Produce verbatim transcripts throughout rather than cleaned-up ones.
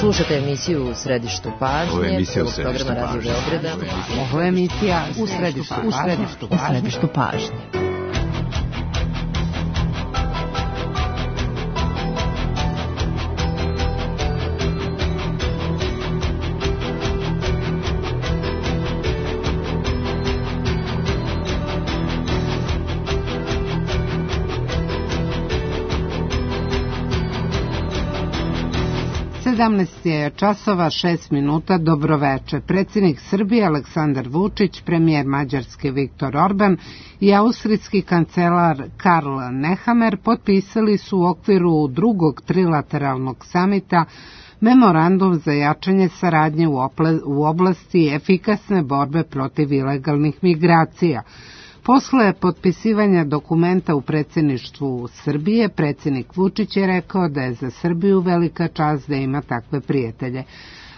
Slušate emisiju U središtu pažnje. Ovo je emisija U središtu središtu pažnje. Ovo je emisija U središtu pažnje. U središtu pažnje. U središtu pažnje. sedamnaest je časova šest minuta, dobroveče. Predsjednik Srbije Aleksandar Vučić, premijer Mađarske Viktor Orban i austrijski kancelar Karl Nehammer potpisali su u okviru drugog trilateralnog samita memorandum za jačanje saradnje u oblasti efikasne borbe protiv ilegalnih migracija. Posle potpisivanja dokumenta u predsjedništvu Srbije, predsjednik Vučić je rekao da je za Srbiju velika čast da ima takve prijatelje.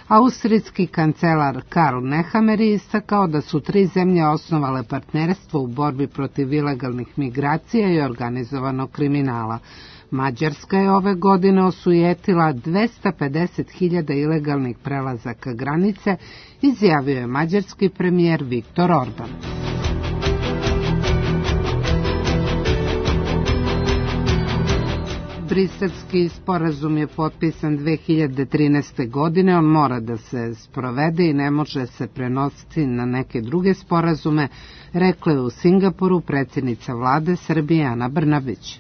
Austrijski kancelar Karl Nehammer je istakao da su tri zemlje osnovale partnerstvo u borbi protiv ilegalnih migracija i organizovanog kriminala. Mađarska je ove godine osujetila dvesta pedeset hiljada ilegalnih prelazaka granice, izjavio je mađarski premijer Viktor Orban. Briselski sporazum je potpisan dve hiljade trinaeste. godine, on mora da se sprovede i ne može se prenositi na neke druge sporazume, rekla je u Singapuru predsjednica vlade Srbije Ana Brnabić.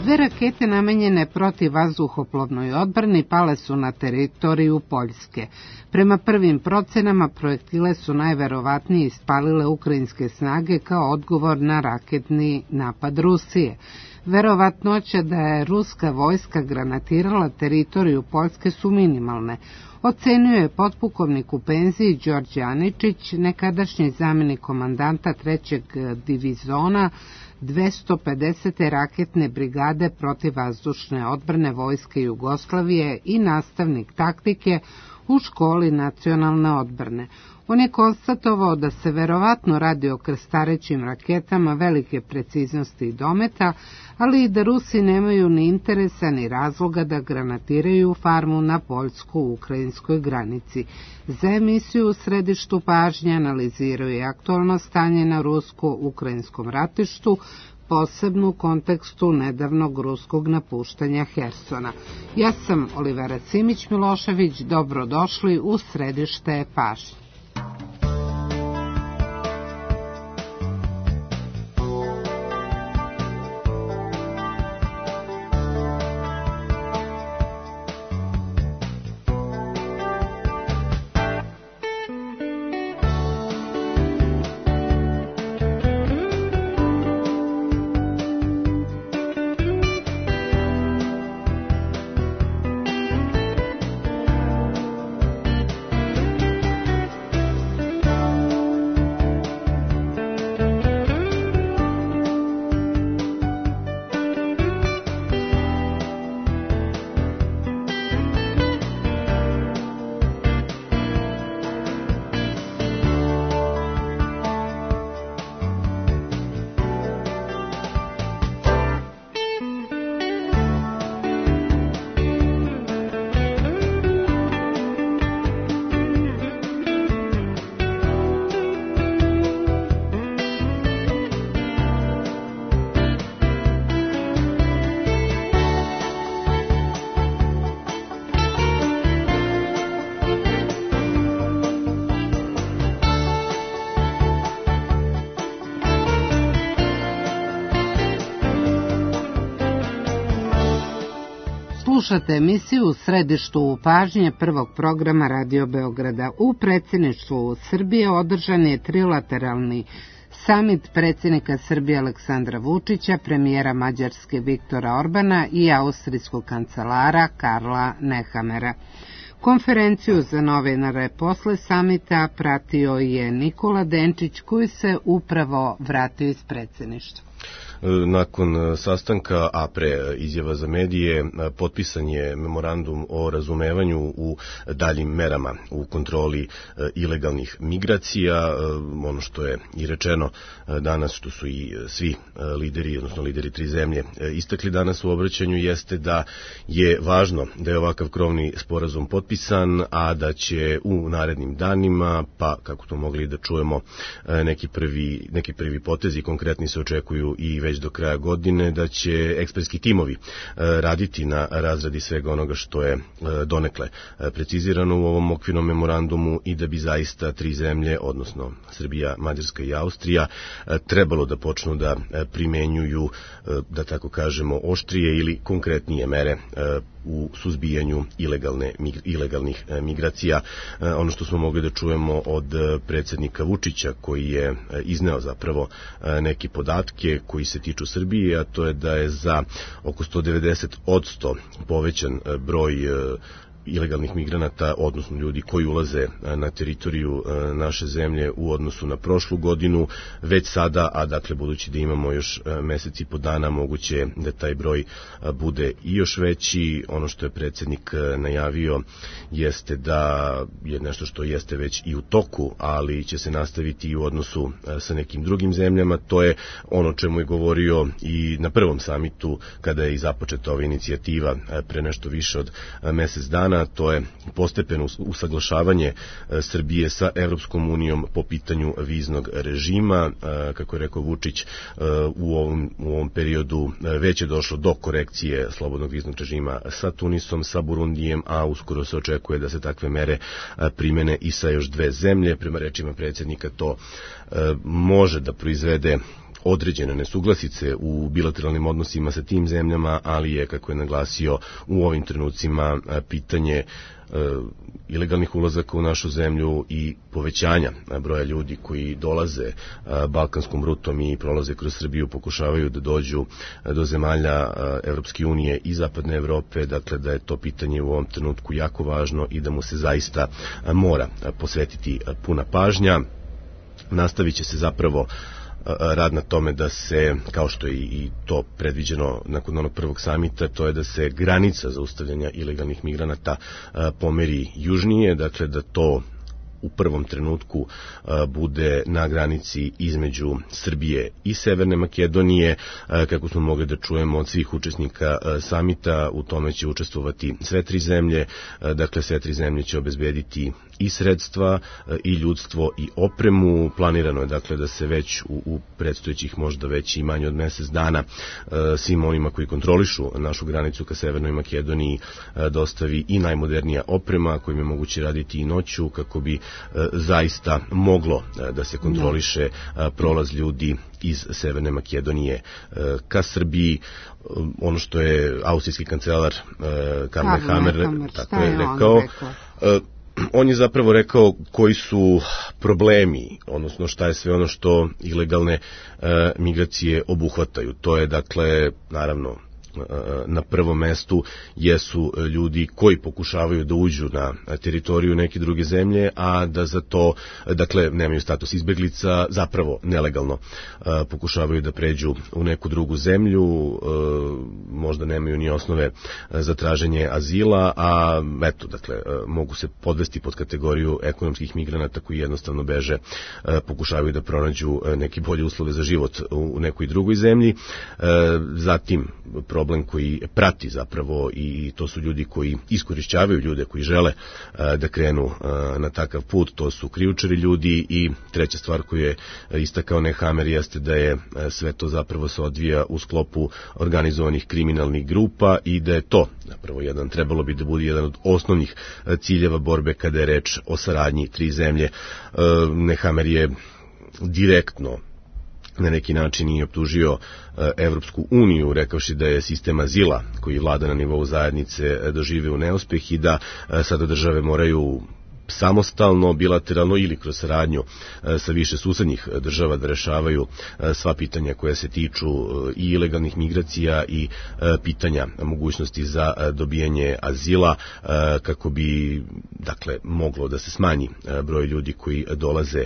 Dve rakete namenjene protivvazduhoplovnoj odbrani pale su na teritoriju Poljske. Prema prvim procenama, projektile su najverovatnije ispalile ukrajinske snage kao odgovor na raketni napad Rusije. Verovatnoća da je ruska vojska granatirala teritoriju Poljske su minimalne, ocenio je potpukovnik u penziji Đorđe Aničić, nekadašnji zamjenik komandanta trećeg divizona dvesta pedesete raketne brigade protivvazdušne odbrane Vojske Jugoslavije i nastavnik taktike u školi nacionalne odbrane. On je konstatovao da se verovatno radi o krstarećim raketama velike preciznosti i dometa, ali i da Rusi nemaju ni interesa ni razloga da granatiraju farmu na poljsko-ukrajinskoj granici. Za emisiju U središtu pažnje analizirao je aktualno stanje na rusko-ukrajinskom ratištu, posebno u kontekstu nedavnog ruskog napuštanja Hersona. Ja sam Olivera Simić-Milošević, dobrodošli u središte pažnje. Slušate emisiju U središtu pažnje prvog programa Radio Beograda. U predsjedništvu Srbije održan je trilateralni samit predsjednika Srbije Aleksandra Vučića, premijera Mađarske Viktora Orbana i austrijskog kancelara Karla Nehammera. Konferenciju za novinare posle samita pratio je Nikola Denčić, koji se upravo vratio iz predsjedništva. nakon sastanka, a pre izjava za medije, potpisan je memorandum o razumevanju u daljim merama u kontroli ilegalnih migracija. Ono što je i rečeno danas, što su i svi lideri, odnosno lideri tri zemlje istakli danas u obraćanju, jeste da je važno da je ovakav krovni sporazum potpisan, a da će u narednim danima, pa kako to mogli da čujemo, neki prvi, neki prvi potezi konkretni se očekuju i već do kraja godine, da će ekspertski timovi raditi na razradi svega onoga što je donekle precizirano u ovom okvirnom memorandumu i da bi zaista tri zemlje, odnosno Srbija, Mađarska i Austrija, trebalo da počnu da primenjuju, da tako kažemo, oštrije ili konkretnije mere u suzbijanju ilegalne, ilegalnih migracija. Ono što smo mogli da čujemo od predsjednika Vučića, koji je izneo zapravo neke podatke koji se tiču Srbije, a to je da je za oko sto devedeset posto povećan broj ilegalnih migranata, odnosno ljudi koji ulaze na teritoriju naše zemlje u odnosu na prošlu godinu. Već sada, a dakle budući da imamo još mesec i po dana, moguće da taj broj bude i još veći. Ono što je predsjednik najavio jeste da je nešto što jeste već i u toku, ali će se nastaviti i u odnosu sa nekim drugim zemljama. To je ono čemu je govorio i na prvom samitu kada je i započeta ova inicijativa pre nešto više od mesec dana. To je postepeno usaglašavanje Srbije sa Evropskom unijom po pitanju viznog režima. Kako je rekao Vučić, u ovom, u ovom periodu već je došlo do korekcije slobodnog viznog režima sa Tunisom, sa Burundijem, a uskoro se očekuje da se takve mere primene i sa još dve zemlje. Prema rečima predsjednika, to može da proizvede određene nesuglasice u bilateralnim odnosima sa tim zemljama, ali je, kako je naglasio, u ovim trenucima pitanje e, ilegalnih ulazaka u našu zemlju i povećanja broja ljudi koji dolaze e, balkanskom rutom i prolaze kroz Srbiju, pokušavaju da dođu do zemalja e, Evropske unije i Zapadne Evrope, dakle da je to pitanje u ovom trenutku jako važno i da mu se zaista mora posvetiti puna pažnja. Nastavit će se zapravo rad na tome da se, kao što je i to predviđeno nakon onog prvog samita, to je da se granica zaustavljanja ilegalnih migranata pomeri južnije, dakle da to u prvom trenutku bude na granici između Srbije i Severne Makedonije. Kako smo mogli da čujemo od svih učesnika samita, u tome će učestvovati sve tri zemlje, dakle sve tri zemlje će obezbediti i sredstva i ljudstvo i opremu. Planirano je dakle da se već u, u predstojećih možda već i manje od mesec dana svim onima koji kontrolišu našu granicu ka Severnoj Makedoniji dostavi i najmodernija oprema kojim je moguće raditi i noću, kako bi zaista moglo da se kontroliše prolaz ljudi iz Severne Makedonije ka Srbiji. Ono što je austrijski kancelar Karl Nehammer tako je rekao, on je zapravo rekao koji su problemi, odnosno šta je sve ono što ilegalne e, migracije obuhvataju. To je, dakle, naravno, na prvom mestu jesu ljudi koji pokušavaju da uđu na teritoriju neke druge zemlje, a da za to, dakle, nemaju status izbeglica, zapravo nelegalno pokušavaju da pređu u neku drugu zemlju, možda nemaju ni osnove za traženje azila, a eto, dakle, mogu se podvesti pod kategoriju ekonomskih migranata koji jednostavno beže, pokušavaju da pronađu neke bolje uslove za život u nekoj drugoj zemlji. Zatim, problem koji prati zapravo, i to su ljudi koji iskorišćavaju ljude koji žele da krenu na takav put, to su krijumčari ljudi. I treća stvar koju je istakao Nehammer jeste da je sve to zapravo se odvija u sklopu organizovanih kriminalnih grupa i da je to zapravo jedan, trebalo bi da bude jedan od osnovnih ciljeva borbe kada je reč o saradnji tri zemlje. Nehammer je direktno na neki način i optužio Evropsku uniju, rekavši da je sistem azila koji vlada na nivou zajednice doživeo neuspeh i da sada države moraju samostalno, bilateralno ili kroz saradnju sa više susednih država da rešavaju sva pitanja koja se tiču i ilegalnih migracija i pitanja mogućnosti za dobijanje azila, kako bi, dakle, moglo da se smanji broj ljudi koji dolaze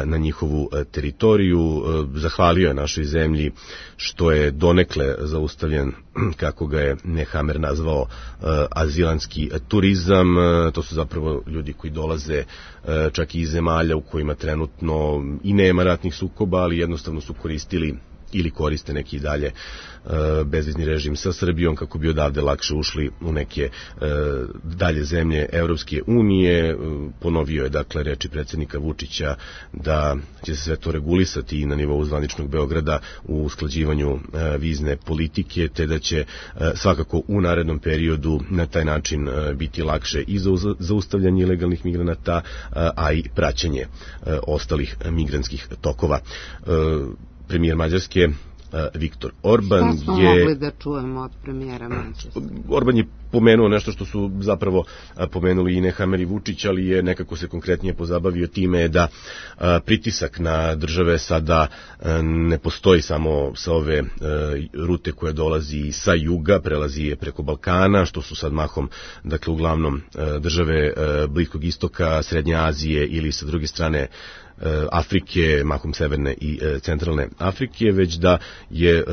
na njihovu teritoriju. Zahvalio je našoj zemlji što je donekle zaustavljen, kako ga je Nehammer nazvao, azilanski turizam. To su zapravo ljudi koji dolaze čak i iz zemalja u kojima trenutno i nema ratnih sukoba, ali jednostavno su koristili ili koriste neki dalje bezvizni režim sa Srbijom kako bi odavde lakše ušli u neke dalje zemlje Evropske unije. Ponovio je, dakle, reči predsjednika Vučića da će se sve to regulisati i na nivou zvaničnog Beograda u usklađivanju vizne politike, te da će svakako u narednom periodu na taj način biti lakše i za zaustavljanje ilegalnih migranata, a i praćenje ostalih migrantskih tokova. Premijer Mađarske Viktor Orban je... Šta smo mogli da čujemo od premijera Mađarske? Orban je pomenuo nešto što su zapravo pomenuli i Nehammer i Vučić, ali je nekako se konkretnije pozabavio time da pritisak na države sada ne postoji samo sa ove rute koja dolazi sa juga, prelazi je preko Balkana, što su sad mahom, dakle, uglavnom države Bliskog istoka, Srednje Azije ili sa druge strane Afrike, mahom severne i centralne Afrike, već da je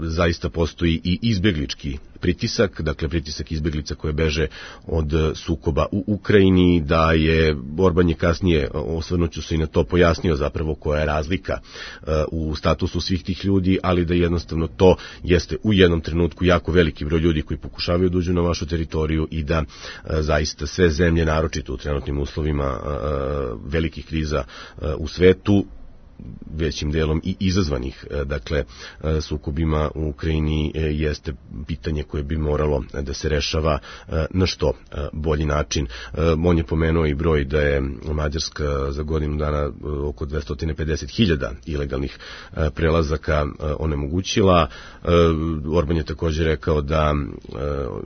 zaista postoji i izbeglički pritisak, dakle pritisak izbeglica koje beže od sukoba u Ukrajini, da je Orban je kasnije, osvrnuću se i na to, pojasnio zapravo koja je razlika u statusu svih tih ljudi, ali da jednostavno to jeste u jednom trenutku jako veliki broj ljudi koji pokušavaju da uđu na vašu teritoriju i da zaista sve zemlje, naročito u trenutnim uslovima velikih kriza u svetu, većim delom i izazvanih, dakle, sukobima u Ukrajini, jeste pitanje koje bi moralo da se rešava na što bolji način. On je pomenuo i broj da je Mađarska za godinu dana oko dvesta pedeset hiljada ilegalnih prelazaka onemogućila. Orban je također rekao da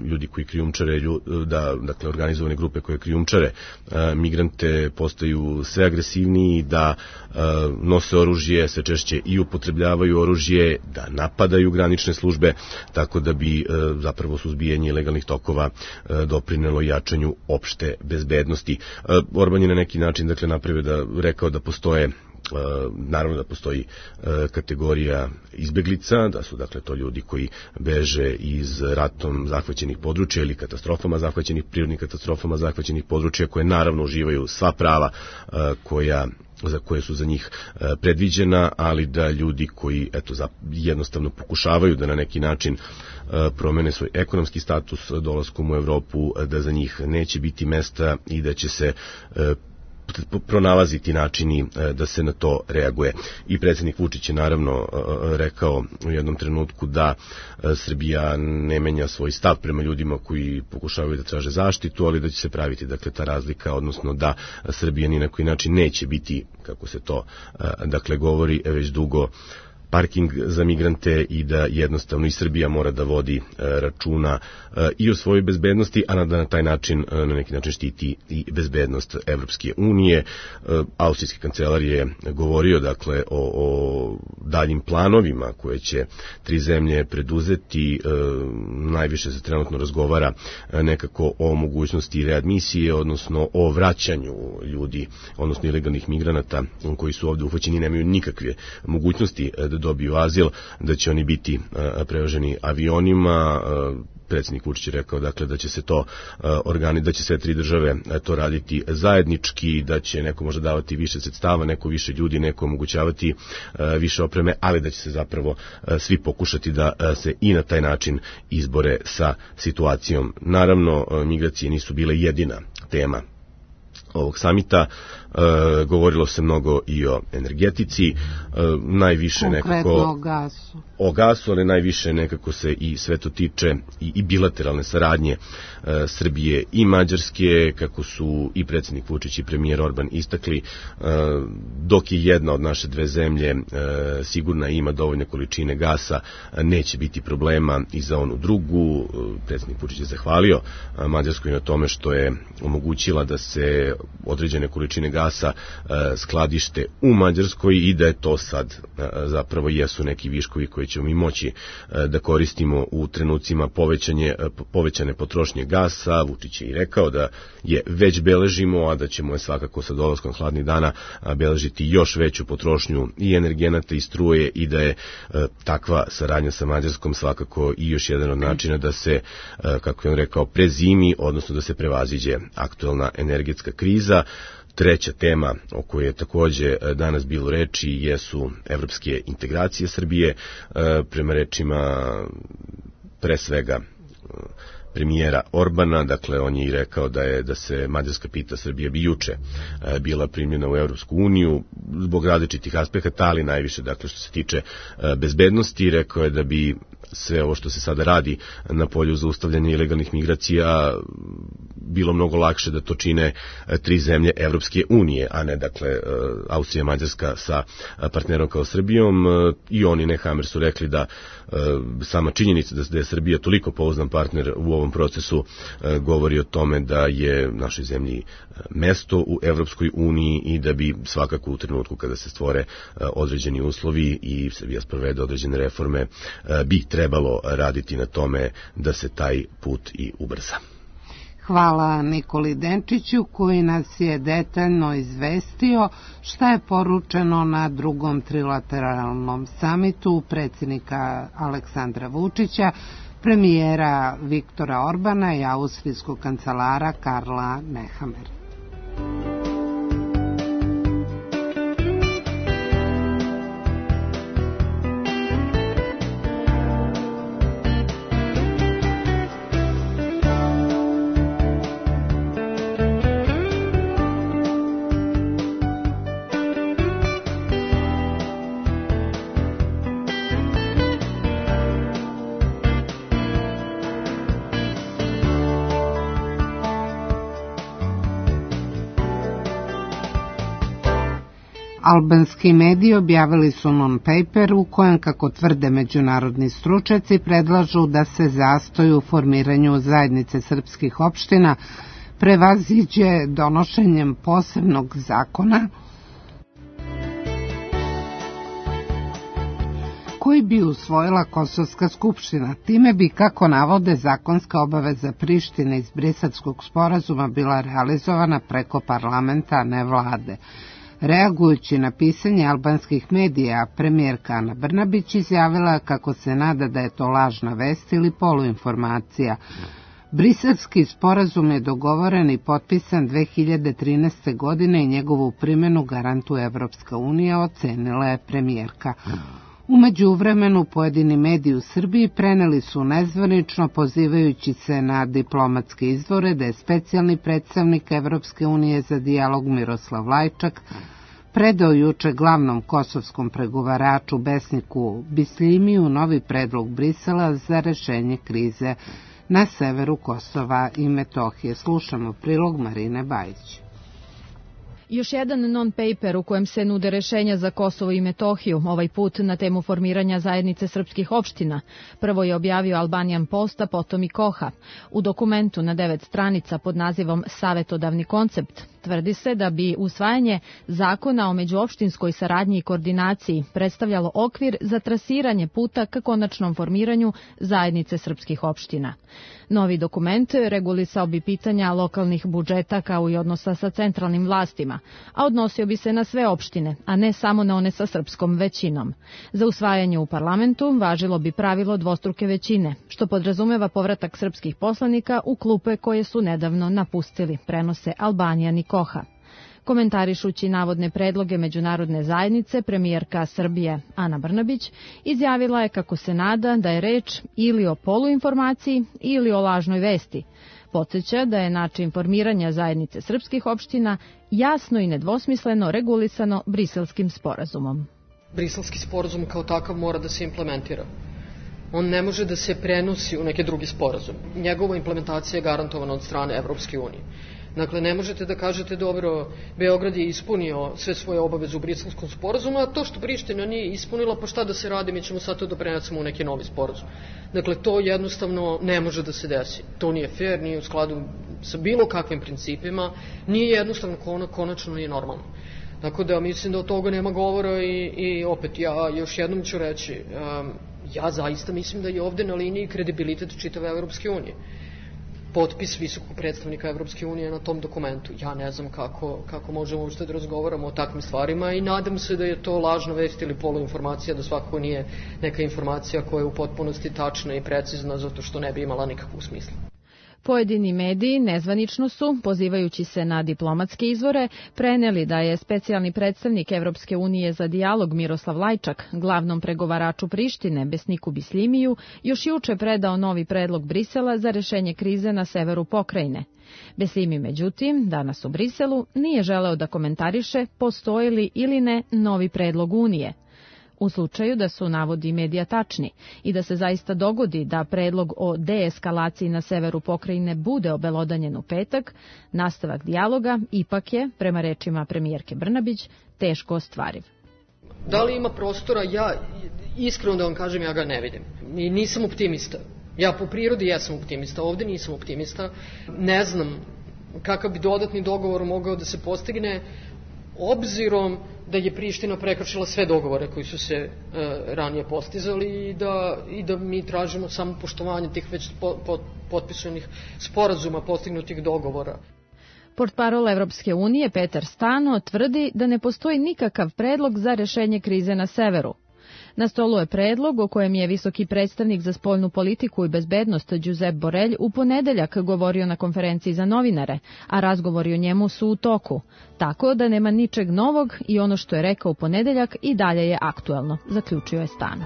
ljudi koji krijumčare, da, dakle, organizovane grupe koje krijumčare migrante postaju sve agresivniji, da nose oružje, sve češće i upotrebljavaju oružje, da napadaju granične službe, tako da bi zapravo suzbijanje ilegalnih tokova doprinelo jačanju opšte bezbednosti. Orban je na neki način, dakle, napravio da, rekao da postoje naravno da postoji kategorija izbeglica, da su, dakle, to ljudi koji beže iz ratom zahvaćenih područja ili katastrofama zahvaćenih, prirodnih katastrofama zahvaćenih područja, koje naravno uživaju sva prava koja za koje su za njih predviđena, ali da ljudi koji, eto, jednostavno pokušavaju da na neki način promene svoj ekonomski status dolaskom u Evropu, da za njih neće biti mesta i da će se pronalaziti načini da se na to reaguje. I predsjednik Vučić je naravno rekao u jednom trenutku da Srbija ne menja svoj stav prema ljudima koji pokušavaju da traže zaštitu, ali da će se praviti, dakle, ta razlika, odnosno da Srbija ni na koji način neće biti, kako se to, dakle, govori već dugo, parking za migrante i da jednostavno i Srbija mora da vodi računa i o svojoj bezbednosti, a da na taj način, na neki način štiti i bezbednost Evropske unije. Austrijski kancelar je govorio, dakle, o, o daljim planovima koje će tri zemlje preduzeti. Najviše se trenutno razgovara nekako o mogućnosti readmisije, odnosno o vraćanju ljudi, odnosno ilegalnih migranata koji su ovde uhvaćeni, nemaju nikakve mogućnosti da dobiju azil, da će oni biti prevoženi avionima. Predsjednik Vučić je rekao, dakle, da će se to organi, da će sve tri države to raditi zajednički, da će neko možda davati više sredstava, neko više ljudi, neko omogućavati više opreme, ali da će se zapravo svi pokušati da se i na taj način izbore sa situacijom. Naravno, migracije nisu bile jedina tema ovog samita. E, govorilo se mnogo i o energetici, e, najviše konkretno nekako o gasu. O gasu, ali najviše nekako se i sve to tiče i, i bilateralne saradnje e, Srbije i Mađarske, kako su i predsjednik Vučić i premijer Orban istakli, e, dok je jedna od naše dve zemlje e, sigurna i ima dovoljne količine gasa, neće biti problema i za onu drugu. Predsjednik Vučić je zahvalio Mađarskoj na tome što je omogućila da se se određene količine gasa skladište u Mađarskoj i da je to sad zapravo jesu neki viškovi koji ćemo mi moći da koristimo u trenucima povećanje, povećane potrošnje gasa. Vučić je i rekao da je već beležimo, a da ćemo je svakako sa dolaskom hladnih dana beležiti još veću potrošnju i energenata i struje i da je takva saradnja sa Mađarskom svakako i još jedan od načina da se, kako je on rekao, prezimi, odnosno da se prevaziđe aktuelna energetska kriza. Treća tema o kojoj je takođe danas bilo reči jesu evropske integracije Srbije. Prema rečima pre svega premijera Orbana, dakle on je i rekao da je da se Mađarska pita, Srbija bi juče bila primljena u Evropsku uniju zbog različitih aspekata, ali najviše dakle što se tiče bezbednosti. Rekao je da bi sve ovo što se sada radi na polju zaustavljanja ilegalnih migracija bilo mnogo lakše da to čine tri zemlje Evropske unije, a ne dakle Austrija, Mađarska sa partnerom kao Srbijom. I oni Nehammer su rekli da sama činjenica da je Srbija toliko pouzdan partner u ovom procesu govori o tome da je našoj zemlji mesto u Evropskoj uniji i da bi svakako u trenutku kada se stvore određeni uslovi i Srbija sprovede određene reforme bi trebalo raditi na tome da se taj put i ubrza. Hvala Nikoli Denčiću koji nas je detaljno izvestio šta je poručeno na drugom trilateralnom samitu predsjednika Aleksandra Vučića, premijera Viktora Orbana i austrijskog kancelara Karla Nehammer. Albanski mediji objavili su non-paper u kojem, kako tvrde međunarodni stručnjaci, predlažu da se zastoj u formiranju zajednice srpskih opština prevaziđe donošenjem posebnog zakona koji bi usvojila Kosovska skupština. Time bi, kako navode, zakonska obaveza Prištine iz Briselskog sporazuma bila realizovana preko parlamenta, a ne vlade. Reagujući na pisanje albanskih medija, premijerka Ana Brnabić izjavila kako se nada da je to lažna vest ili poluinformacija. Briselski sporazum je dogovoren i potpisan dve hiljade trinaeste. godine i njegovu primjenu garantuje Evropska unija, ocenila je premijerka. U međuvremenu pojedini mediji u Srbiji preneli su nezvanično, pozivajući se na diplomatske izvore, da je specijalni predstavnik Evropske unije za dijalog Miroslav Lajčak predao juče glavnom kosovskom pregovaraču Besniku Bisljimiju novi predlog Brisela za rešenje krize na severu Kosova i Metohije. Slušamo prilog Marine Bajić. Još jedan non-paper u kojem se nude rešenja za Kosovo i Metohiju, ovaj put na temu formiranja zajednice srpskih opština. Prvo je objavio Albanian Post, a potom i Koha. U dokumentu na devet stranica pod nazivom Savetodavni koncept tvrdi se da bi usvajanje zakona o međuopštinskoj saradnji i koordinaciji predstavljalo okvir za trasiranje puta ka konačnom formiranju zajednice srpskih opština. Novi dokument regulisao bi pitanja lokalnih budžeta kao i odnosa sa centralnim vlastima, a odnosio bi se na sve opštine, a ne samo na one sa srpskom većinom. Za usvajanje u parlamentu važilo bi pravilo dvostruke većine, što podrazumeva povratak srpskih poslanika u klupe koje su nedavno napustili, prenose Albanian i Koha. Komentarišući navodne predloge međunarodne zajednice, premijerka Srbije Ana Brnabić izjavila je kako se nada da je reč ili o poluinformaciji ili o lažnoj vesti. Podsjeća da je način formiranja zajednice srpskih opština jasno i nedvosmisleno regulisano Briselskim sporazumom. Briselski sporazum kao takav mora da se implementira. On ne može da se prenosi u neke drugi sporazum. Njegova implementacija je garantovana od strane Evropske unije. Dakle, ne možete da kažete, dobro, Beograd je ispunio sve svoje obaveze u Briselskom sporazumu, a to što Priština nije ispunila, pa šta da se radi, mi ćemo sad to da prenesemo u neki novi sporazum. Dakle, to jednostavno ne može da se desi. To nije fair, nije u skladu sa bilo kakvim principima, nije jednostavno, konačno nije normalno. Tako da mislim da od toga nema govora i, i opet ja još jednom ću reći, um, ja zaista mislim da je ovde na liniji kredibilitet čitave Evropske unije. Potpis visokog predstavnika Evropske unije na tom dokumentu. Ja ne znam kako, kako možemo uopšte da razgovaramo o takvim stvarima i nadam se da je to lažna vest ili poluinformacija, da svakako nije neka informacija koja je u potpunosti tačna i precizna, zato što ne bi imala nikakvog smisla. Pojedini mediji nezvanično su, pozivajući se na diplomatske izvore, preneli da je specijalni predstavnik Evropske unije za dijalog Miroslav Lajčak glavnom pregovaraču Prištine Besniku Bisljimiju još juče predao novi predlog Brisela za rešenje krize na severu pokrajine. Besljimi, međutim, danas u Briselu nije želeo da komentariše postoji li ili ne novi predlog Unije. U slučaju da su navodi medija tačni i da se zaista dogodi da predlog o deeskalaciji na severu pokrajine bude obelodanjen u petak, nastavak dijaloga ipak je, prema rečima premijerke Brnabić, teško ostvariv. Da li ima prostora? Ja, iskreno da vam kažem, ja ga ne vidim. I nisam optimista. Ja po prirodi jesam optimista, ovde nisam optimista. Ne znam kakav bi dodatni dogovor mogao da se postigne, obzirom da je Priština prekršila sve dogovore koji su se e, ranije postizali i da, i da mi tražimo samo poštovanje tih već po, po, potpisanih sporazuma, postignutih dogovora. Portparol Evropske unije Petar Stano tvrdi da ne postoji nikakav predlog za rešenje krize na severu. Na stolu je predlog o kojem je visoki predstavnik za spoljnu politiku i bezbednost Giuseppe Borrell u ponedeljak govorio na konferenciji za novinare, a razgovori o njemu su u toku. Tako da nema ničeg novog i ono što je rekao u ponedeljak i dalje je aktuelno, zaključio je Stano.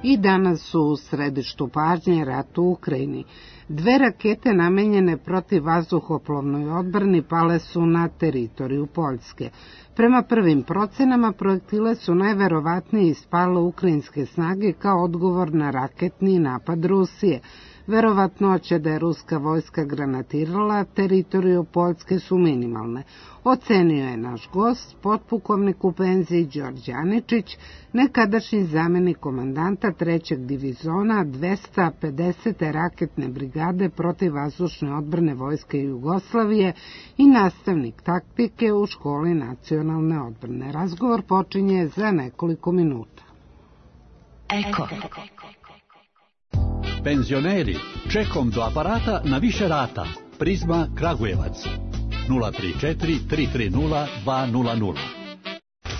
I danas su u središtu pažnje rat u Ukrajini. Dve rakete namenjene protiv vazduhoplovnoj odbrani pale su na teritoriju Poljske. Prema prvim procenama, projektile su najverovatnije ispale ukrajinske snage kao odgovor na raketni napad Rusije. Verovatnoće da je ruska vojska granatirala teritoriju Poljske su minimalne, ocenio je naš gost, potpukovnik u penziji Đorđe Aničić, nekadašnji zamenik komandanta trećeg divizona dvesta pedesete raketne brigade protivvazdušne odbrane Vojske Jugoslavije i nastavnik taktike u školi nacionalne odbrane. Razgovor počinje za nekoliko minuta. Eko. Penzioneri, čekom do aparata na više rata. Prizma Kragujevac. nula tri četiri tri tri nula dva nula nula.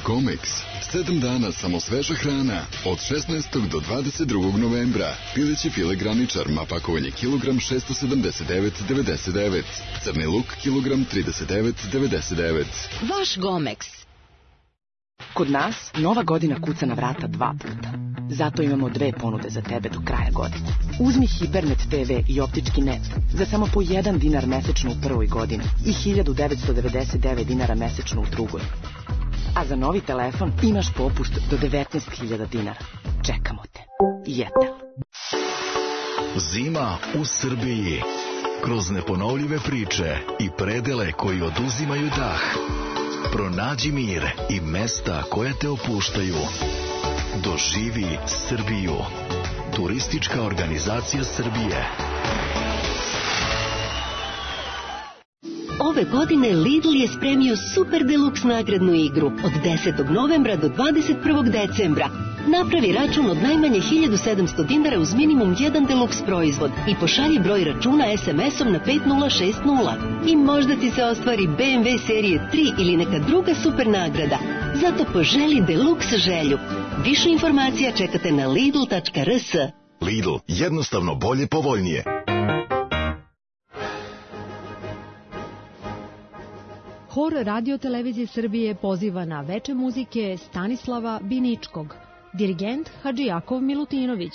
Comex. Sedam dana samo sveža hrana. Od šesnaestog do dvadeset drugog novembra. Pileći file graničar, mapakovanje kilogram šesto sedamdeset devet devedeset devet. Crni luk kilogram trideset devet devedeset devet. Vaš Gomex. Kod nas nova godina kuca na vrata dva puta. Zato imamo dve ponude za tebe do kraja godine. Uzmi Hipernet te ve i optički net za samo po jedan dinar mesečno u prvoj godini i hiljadu devetsto devedeset devet dinara mesečno u drugoj. A za novi telefon imaš popust do devetnaest hiljada dinara. Čekamo te. Jetel. Zima u Srbiji. Kroz neponovljive priče i predele koji oduzimaju dah. Pronađi mir i mesta koja te opuštaju. Doživi Srbiju. Turistička organizacija Srbije. Ove godine Lidl je spremio super deluks nagradnu igru od desetog novembra do dvadeset prvog decembra. Napravi račun od najmanje hiljadu sedamsto dinara uz minimum jedan deluks proizvod i pošalji broj računa es em esom na pet nula šest nula. I možda ti se ostvari be em ve serije tri ili neka druga super nagrada. Zato poželi deluks želju. Više informacija čekate na lidl tačka er es. Lidl, jednostavno bolje, povoljnije. Hor Radio Televizije Srbije poziva na veče muzike Stanislava Biničkog, dirigent Hadžijakov Milutinović,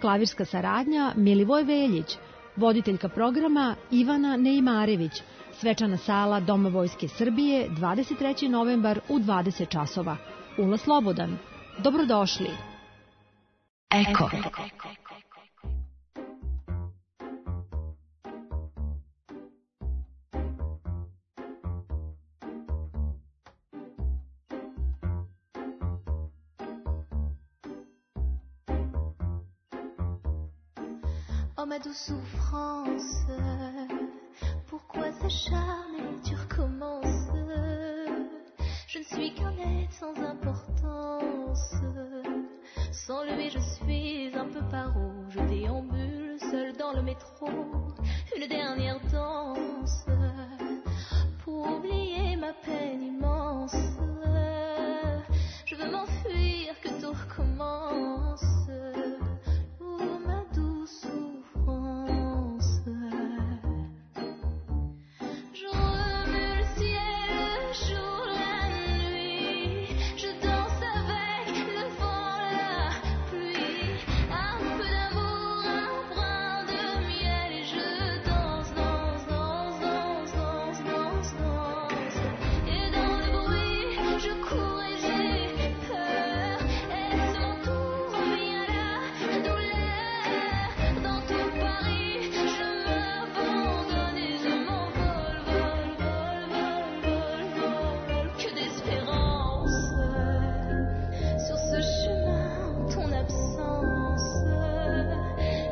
klavirska saradnja Milivoj Veljić, voditeljka programa Ivana Neimarević, svečana sala Doma Vojske Srbije, dvadeset treći novembar u dvadeset časova. Ulaz slobodan. Dobrodošli. Eko. Oh ma douce souffrance, pourquoi s'acharner, tu recommences? Je ne suis qu'un être sans importance. Sans lui je suis un peu paro. Je déambule seul dans le métro. Une dernière danse pour oublier ma peine immense. Je veux m'enfuir, que tout recommence. Oh ma douce souffrance. Je remue le ciel, le jour, la nuit. Je danse avec le vent, la pluie. Un peu d'amour, un brin de miel. Et je danse, danse, danse, danse, danse, danse, danse. Et dans le bruit, je cours et j'ai peur. Est-ce mon tour ou bien la douleur? Dans tout Paris, je m'abandonne et je m'envole, vol, vol, vol, vol, vol. Que d'espérance sur ce chemin en ton absence.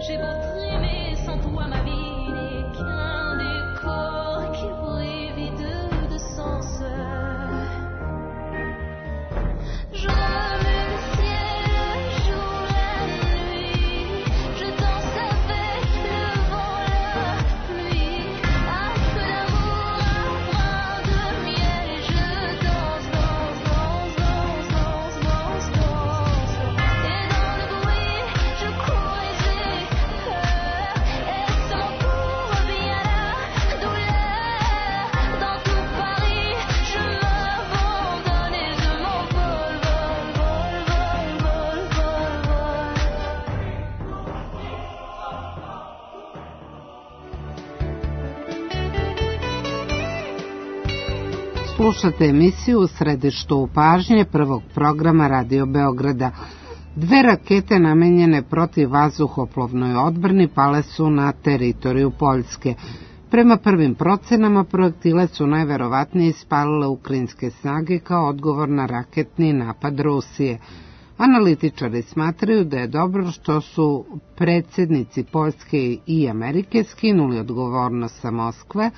J'ai beau trimer, sans toi ma vie n'est qu'un décor qui brille vide de sens. Je remue le ciel, le jour, la nuit. Je danse avec le vent, la pluie. Un peu d'amour, un brin de miel. Et je danse, danse, danse, danse, danse, danse, danse. Et dans le bruit, je cours et j'ai peur. Est-ce mon tour ou bien la douleur? Dans tout Paris, je m'abandonne et je m'envole, vol, vol, vol, vol, vol, vol. Slušate emisiju U središtu pažnje prvog programa Radio Beograda. Dve rakete namenjene protiv vazduhoplovnoj odbrani pale su na teritoriju Poljske. Prema prvim procenama, projektile su najverovatnije ispalile ukrajinske snage kao odgovor na raketni napad Rusije. Analitičari smatraju da je dobro što su predsjednici Poljske i Amerike skinuli odgovornost sa Moskve,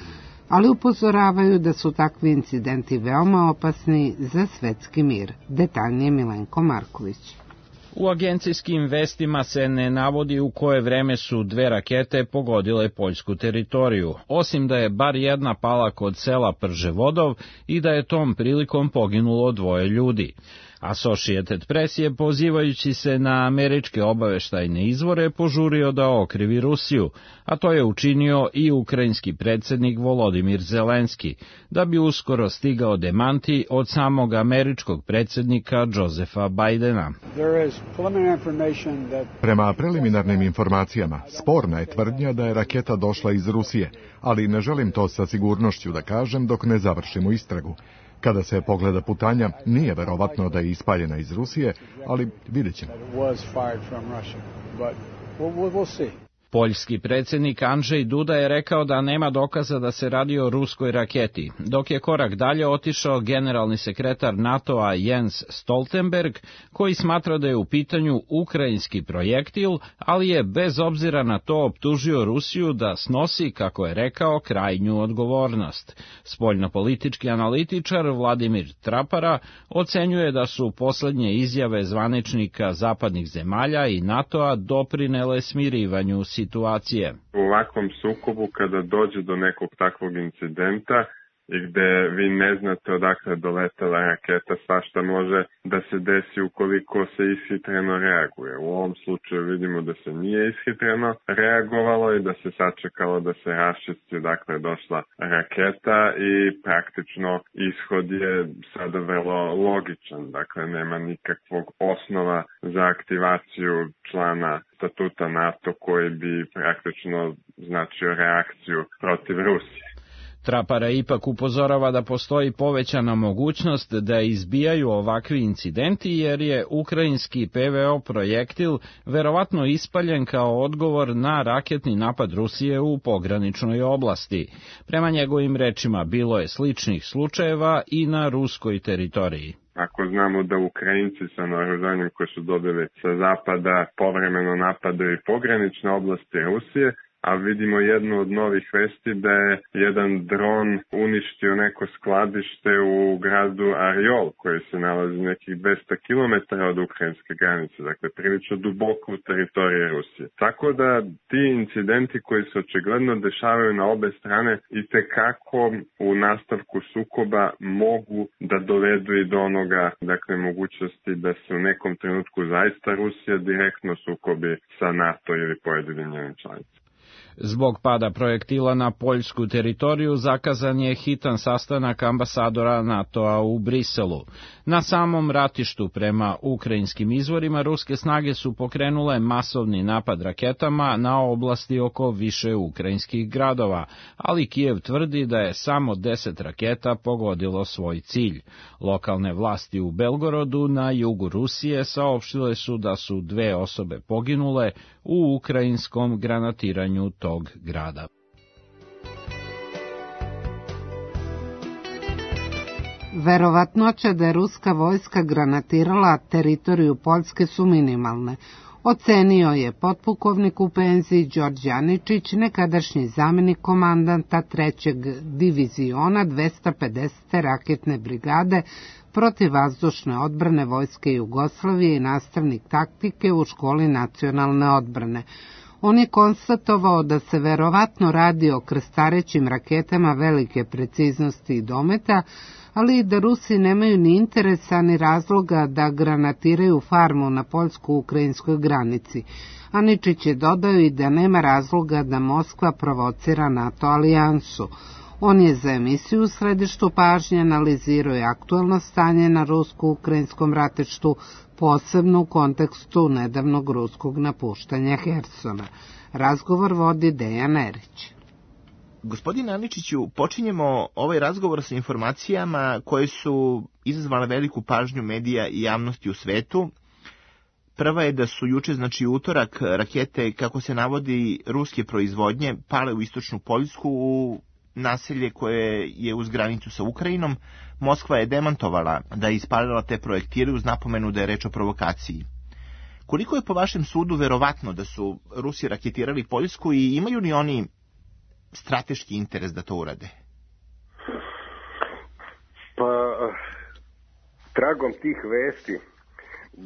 ali upozoravaju da su takvi incidenti veoma opasni za svetski mir. Detaljnije Milenko Marković. U agencijskim vestima se ne navodi u koje vreme su dve rakete pogodile poljsku teritoriju, osim da je bar jedna pala kod sela Prževodov i da je tom prilikom poginulo dvoje ljudi. Associated Press je, pozivajući se na američke obaveštajne izvore, požurio da okrivi Rusiju, a to je učinio i ukrajinski predsjednik Volodimir Zelenski, da bi uskoro stigao demanti od samog američkog predsjednika Josefa Bidena. Prema preliminarnim informacijama, sporna je tvrdnja da je raketa došla iz Rusije, ali ne želim to sa sigurnošću da kažem dok ne završimo istragu. Kada se pogleda putanja, nije verovatno da je ispaljena iz Rusije, ali vidjet ćemo. Poljski predsjednik Andrzej Duda je rekao da nema dokaza da se radi o ruskoj raketi, dok je korak dalje otišao generalni sekretar NATO-a Jens Stoltenberg, koji smatra da je u pitanju ukrajinski projektil, ali je bez obzira na to optužio Rusiju da snosi, kako je rekao, krajnju odgovornost. Spoljnopolitički analitičar Vladimir Trapara ocenjuje da su posljednje izjave zvaničnika zapadnih zemalja i NATO-a doprinele smirivanju situacije. U ovakvom sukobu, kada dođe do nekog takvog incidenta i gde vi ne znate odakle doletela raketa, svašta može da se desi ukoliko se ishitreno reaguje. U ovom slučaju vidimo da se nije ishitreno reagovalo i da se sačekalo da se raščisti odakle je došla raketa i praktično ishod je sada vrlo logičan. Dakle, nema nikakvog osnova za aktivaciju člana statuta NATO koji bi praktično značio reakciju protiv Rusije. Trapara ipak upozorava da postoji povećana mogućnost da izbijaju ovakvi incidenti jer je ukrajinski P V O projektil verovatno ispaljen kao odgovor na raketni napad Rusije u pograničnoj oblasti. Prema njegovim rečima bilo je sličnih slučajeva i na ruskoj teritoriji. Ako znamo da Ukrajinci sa naoružanjem koje su dobili sa zapada povremeno napadaju pogranične oblasti Rusije, a vidimo jednu od novih vesti da je jedan dron uništio neko skladište u gradu Ariol, koji se nalazi nekih dvesta kilometara od ukrajinske granice, dakle prilično duboko u teritoriji Rusije. Tako da ti incidenti koji se očigledno dešavaju na obe strane i tekako u nastavku sukoba mogu da dovedu i do onoga, dakle mogućnosti da se u nekom trenutku zaista Rusija direktno sukobi sa NATO ili pojedinim njenim članicama. Zbog pada projektila na poljsku teritoriju zakazan je hitan sastanak ambasadora NATO-a u Briselu. Na samom ratištu prema ukrajinskim izvorima ruske snage su pokrenule masovni napad raketama na oblasti oko više ukrajinskih gradova, ali Kijev tvrdi da je samo deset raketa pogodilo svoj cilj. Lokalne vlasti u Belgorodu na jugu Rusije saopštile su da su dve osobe poginule u ukrajinskom granatiranju tog grada. Verovatnoća da je ruska vojska granatirala teritoriju Poljske su minimalne. Ocenio je potpukovnik u penziji Đorđe Aničić, nekadašnji zamjenik komandanta trećeg diviziona dvesta pedesete raketne brigade protivvazdušne odbrane Vojske Jugoslavije i nastavnik taktike u školi nacionalne odbrane. On je konstatovao da se verovatno radi o krstarećim raketama velike preciznosti i dometa, ali i da Rusi nemaju ni interesa ni razloga da granatiraju farmu na poljsko-ukrajinskoj granici. Aničić je dodao i da nema razloga da Moskva provocira NATO alijansu. On je za emisiju u središtu pažnje analizirao i aktuelno stanje na rusko-ukrajinskom ratištu, posebno u kontekstu nedavnog ruskog napuštanja Hersona. Razgovor vodi Dejan Erić. Gospodine Aničiću, počinjemo ovaj razgovor sa informacijama koje su izazvale veliku pažnju medija i javnosti u svetu. Prva je da su juče, znači utorak, rakete, kako se navodi, ruske proizvodnje pale u istočnu Poljsku, u naselje koje je uz granicu sa Ukrajinom. Moskva je demantovala da je ispalila te projektile uz napomenu da je reč o provokaciji. Koliko je po vašem sudu verovatno da su Rusi raketirali Poljsku i imaju li oni strateški interes da to urade? Pa, tragom tih vesti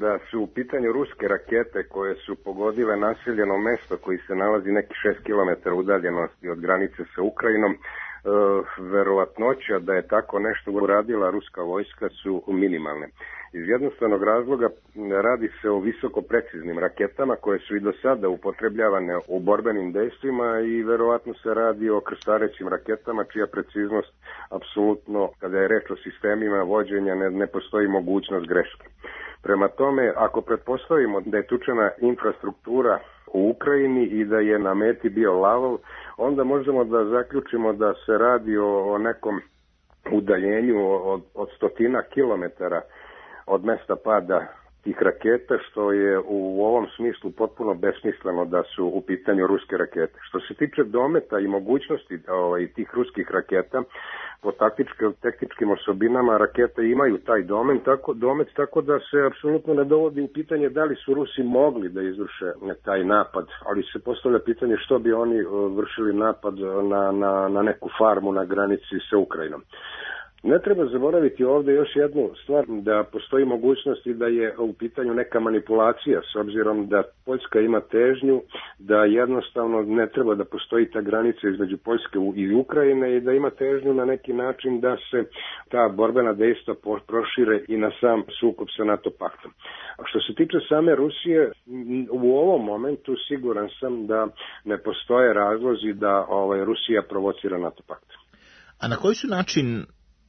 da su u pitanju ruske rakete koje su pogodile naseljeno mesto koji se nalazi neki šest kilometara udaljenosti od granice sa Ukrajinom, verovatnoća da je tako nešto uradila ruska vojska su minimalne. Iz jednostavnog razloga radi se o visoko preciznim raketama koje su i do sada upotrebljavane u borbenim dejstvima i verovatno se radi o krstarećim raketama čija preciznost apsolutno, kada je reč o sistemima vođenja, ne, ne postoji mogućnost greške. Prema tome, ako pretpostavimo da je tučena infrastruktura u Ukrajini i da je na meti bio Lavov, onda možemo da zaključimo da se radi o, o nekom udaljenju od, od stotina kilometara od mesta pada tih raketa, što je u ovom smislu potpuno besmisleno da su u pitanju ruske rakete. Što se tiče dometa i mogućnosti ovaj, tih ruskih raketa, po taktičkim osobinama rakete imaju taj domet tako, domet, tako da se apsolutno ne dovodi u pitanje da li su Rusi mogli da izvrše taj napad, ali se postavlja pitanje što bi oni vršili napad na, na, na neku farmu na granici sa Ukrajinom. Ne treba zaboraviti ovdje još jednu stvar, da postoji mogućnost i da je u pitanju neka manipulacija, s obzirom da Poljska ima težnju, da jednostavno ne treba da postoji ta granica između Poljske i Ukrajine i da ima težnju na neki način da se ta borbena dejstva prošire i na sam sukob sa NATO paktom. A što se tiče same Rusije, u ovom momentu siguran sam da ne postoje razlozi da ovaj, Rusija provocira NATO pakt. A na koji su način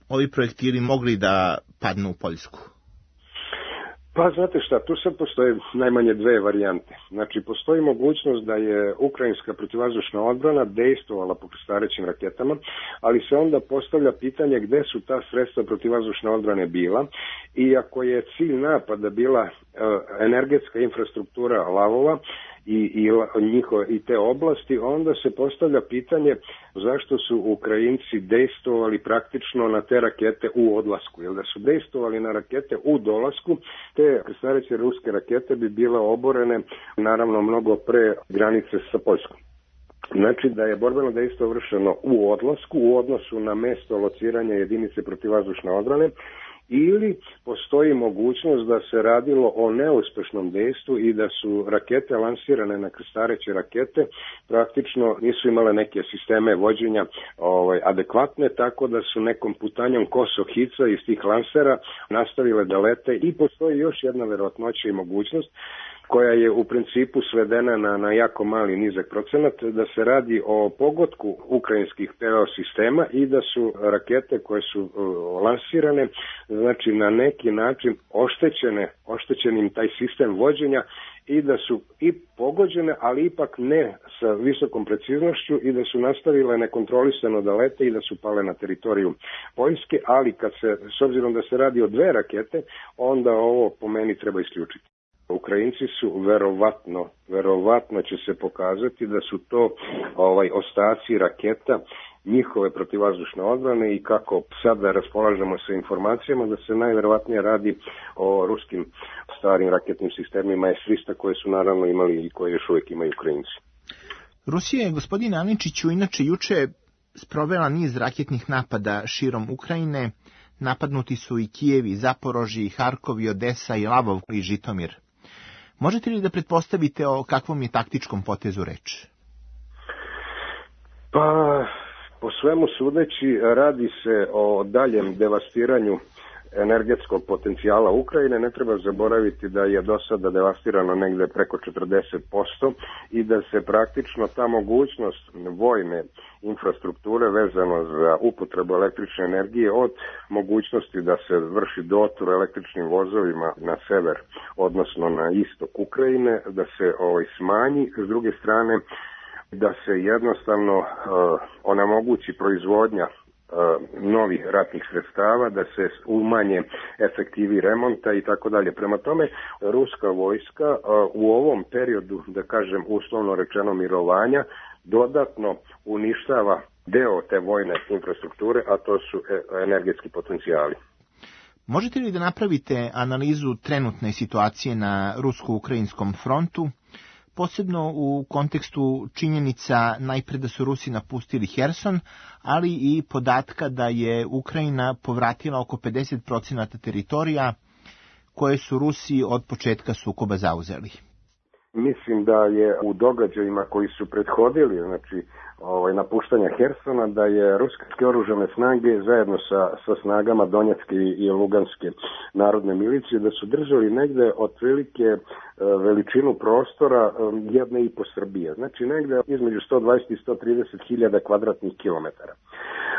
ovi projektili mogli da padnu u Poljsku? Pa znate šta, tu sad postoje najmanje dve varijante. Znači, postoji mogućnost da je ukrajinska protivvazdušna odbrana dejstvovala po krstarećim raketama, ali se onda postavlja pitanje gde su ta sredstva protivvazdušne odbrane bila, i ako je cilj napada bila energetska infrastruktura lavova, i, i, njiho, i te oblasti, onda se postavlja pitanje zašto su Ukrajinci dejstvovali praktično na te rakete u odlasku. Jer da su dejstvovali na rakete u dolasku, te krstareće ruske rakete bi bile oborene naravno mnogo pre granice sa Poljskom. Znači da je borbeno dejstvo vršeno u odlasku u odnosu na mesto lociranja jedinice protivvazdušne odbrane, ili postoji mogućnost da se radilo o neuspešnom dejstvu i da su rakete lansirane na krstareće rakete praktično nisu imale neke sisteme vođenja ovaj, adekvatne, tako da su nekom putanjom koso hica iz tih lansera nastavile da lete. I postoji još jedna verovatnoća i mogućnost koja je u principu svedena na, na jako mali nizak procenat, da se radi o pogodku ukrajinskih P O sistema i da su rakete koje su uh, lansirane, znači na neki način oštećene, oštećenim taj sistem vođenja i da su i pogođene, ali ipak ne sa visokom preciznošću i da su nastavile nekontrolisano da lete i da su pale na teritoriju Poljske, ali kad se, s obzirom da se radi o dve rakete, onda ovo po meni treba isključiti. Ukrajinci su verovatno, verovatno će se pokazati da su to ovaj ostaci raketa njihove protivvazdušne odbrane i kako sada raspolažemo sa informacijama da se najverovatnije radi o ruskim starim raketnim sistemima S tristo koje su naravno imali i koje još uvijek imaju Ukrajinci. Rusija je, gospodine Aničiću, inače juče sprovela niz raketnih napada širom Ukrajine. Napadnuti su i Kijev, i Zaporožje, i Harkov, i Odesa, i Lavov, i Žitomir. Možete li da pretpostavite o kakvom je taktičkom potezu reč? Pa, po svemu sudeći, radi se o daljem devastiranju energetskog potencijala Ukrajine. Ne treba zaboraviti da je do sada devastirano negde preko četrdeset posto i da se praktično ta mogućnost vojne infrastrukture vezano za upotrebu električne energije od mogućnosti da se vrši dotur električnim vozovima na sever, odnosno na istok Ukrajine, da se ovaj, smanji. S druge strane, da se jednostavno uh, onemogući proizvodnja novih ratnih sredstava, da se umanje efektivi remonta i tako dalje. Prema tome, ruska vojska u ovom periodu, da kažem uslovno rečeno mirovanja, dodatno uništava deo te vojne infrastrukture, a to su energetski potencijali. Možete li da napravite analizu trenutne situacije na rusko-ukrajinskom frontu, posebno u kontekstu činjenica najpre da su Rusi napustili Herson, ali i podatka da je Ukrajina povratila oko pedeset posto teritorija koje su Rusi od početka sukoba zauzeli? Mislim da je u događajima koji su prethodili, znači ovaj, napuštanja Hersona, da je ruske oružane snage zajedno sa, sa snagama Donjecke i Luganske narodne milicije, da su držali negde otprilike veličinu prostora jedne i po Srbije. Znači negde između sto dvadeset i sto trideset hiljada kvadratnih kilometara.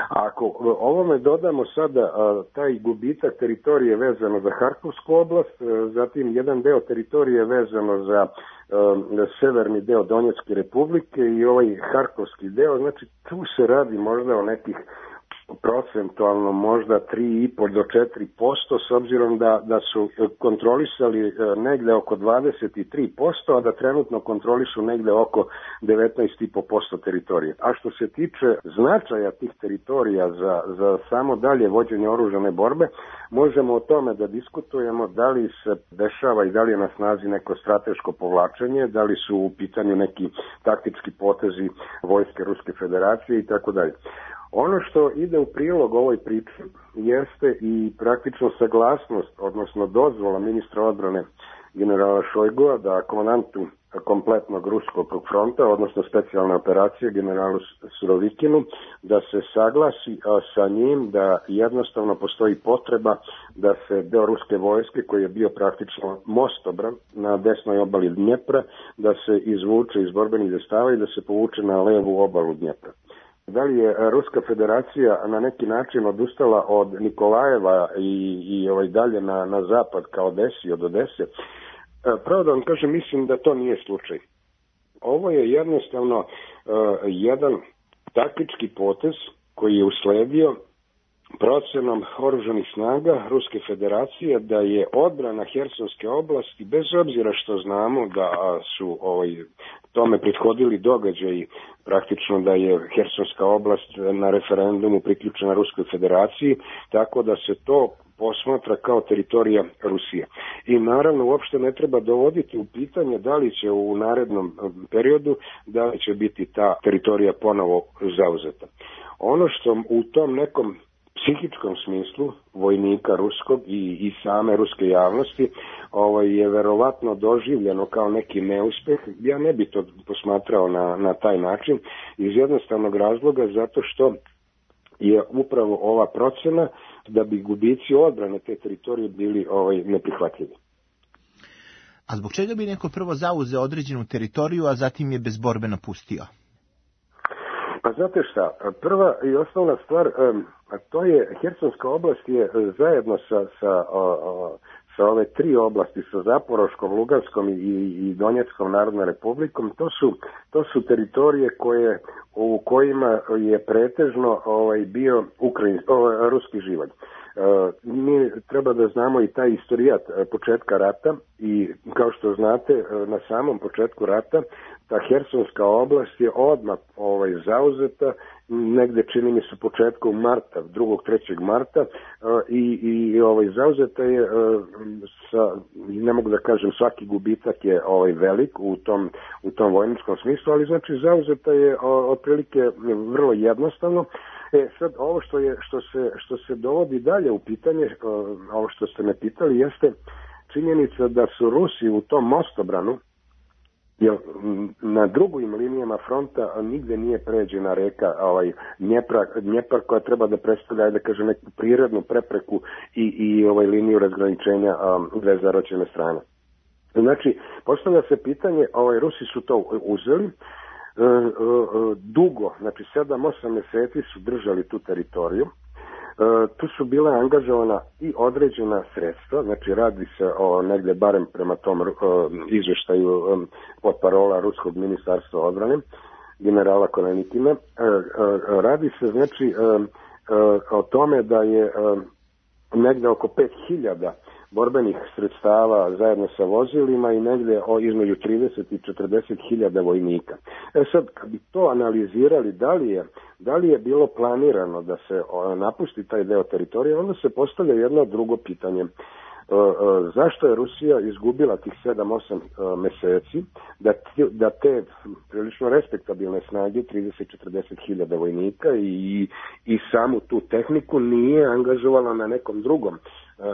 Ako ovome dodamo sada taj gubitak teritorije vezano za Harkovsku oblast, zatim jedan deo teritorije vezano za severni deo Donjecke republike i ovaj Harkovski deo, znači tu se radi možda o nekih procentualno možda tri i po do četiri posto, s obzirom da, da su kontrolisali negde oko dvadeset tri posto, a da trenutno kontrolišu negde oko devetnaest i po posto teritorije. A što se tiče značaja tih teritorija za, za samo dalje vođenje oružane borbe, možemo o tome da diskutujemo da li se dešava i da li je na snazi neko strateško povlačenje, da li su u pitanju neki taktički potezi vojske Ruske federacije i tako dalje. Ono što ide u prilog ovoj priči jeste i praktično saglasnost, odnosno dozvola ministra odbrane generala Šojgua da komandantu kompletnog ruskog fronta, odnosno specijalne operacije generalu Surovikinu, da se saglasi sa njim da jednostavno postoji potreba da se deo ruske vojske koji je bio praktično mostobran na desnoj obali Dnjepra, da se izvuče iz borbenih zastava i da se povuče na levu obalu Dnjepra. Da li je Ruska federacija na neki način odustala od Nikolajeva i, i ovaj dalje na, na zapad ka Odesi, od Odese? Pravo da vam kažem, mislim da to nije slučaj. Ovo je jednostavno uh, jedan taktički potez koji je usledio procenom oružanih snaga Ruske federacije da je odbrana Hersonske oblasti, bez obzira što znamo da su ovaj, tome prethodili događaji, praktično da je Hersonska oblast na referendumu priključena Ruskoj federaciji, tako da se to posmatra kao teritorija Rusije. I naravno uopšte ne treba dovoditi u pitanje da li će u narednom periodu, da li će biti ta teritorija ponovo zauzeta. Ono što u tom nekom psihičkom smislu vojnika ruskog i, i same ruske javnosti ovaj, je verovatno doživljeno kao neki neuspeh. Ja ne bi to posmatrao na, na taj način iz jednostavnog razloga zato što je upravo ova procena da bi gubici odbrane te teritorije bili ovaj, neprihvatljivi. A zbog čega bi neko prvo zauzeo određenu teritoriju, a zatim je bez borbe napustio? Pa znate šta, prva i osnovna stvar, a to je, Hersonska oblast je zajedno sa, sa, sa ove tri oblasti, sa Zaporoškom, Luganskom i, i Donjeckom narodnom republikom, to su, to su teritorije koje, u kojima je pretežno ovaj, bio Ukrajin, ovaj, ruski živalj. Mi treba da znamo i taj istorijat početka rata i kao što znate na samom početku rata ta Hersonska oblast je odmah ovaj, zauzeta negde čini mi se početkom marta, drugog trećeg marta i, i ovaj, zauzeta je sa, ne mogu da kažem svaki gubitak je ovaj, velik u tom, u tom vojničkom smislu, ali znači zauzeta je otprilike vrlo jednostavno. E sad ovo što je što se što se dovodi dalje u pitanje, ovo što ste me pitali jeste činjenica da su Rusi u tom mostobranu, jer na drugim linijama fronta nigde nije pređena reka ovaj Dnjepar, Dnjepar koja treba da predstavlja, da kažem, neku prirodnu prepreku i i ovaj liniju razgraničenja um, dve zaročene strane. Znači, postavlja se pitanje, ovaj Rusi su to uzeli. E, e, dugo, znači sedam osam meseci su držali tu teritoriju. E, tu su bila angažovana i određena sredstva, znači radi se o negde barem prema tom e, izveštaju e, pod parola Ruskog ministarstva odbrane, generala Konanitina. E, e, radi se znači e, e, o tome da je e, negde oko pet hiljada borbenih sredstava zajedno sa vozilima i negdje o između trideset i četrdeset hiljada vojnika. E sad, kad bi to analizirali, da li je, da li je bilo planirano da se napusti taj deo teritorija, onda se postavlja jedno drugo pitanje. Zašto je Rusija izgubila tih sedam osam meseci da, da te prilično respektabilne snage, trideset do četrdeset hiljada vojnika i, i samu tu tehniku nije angažovala na nekom drugom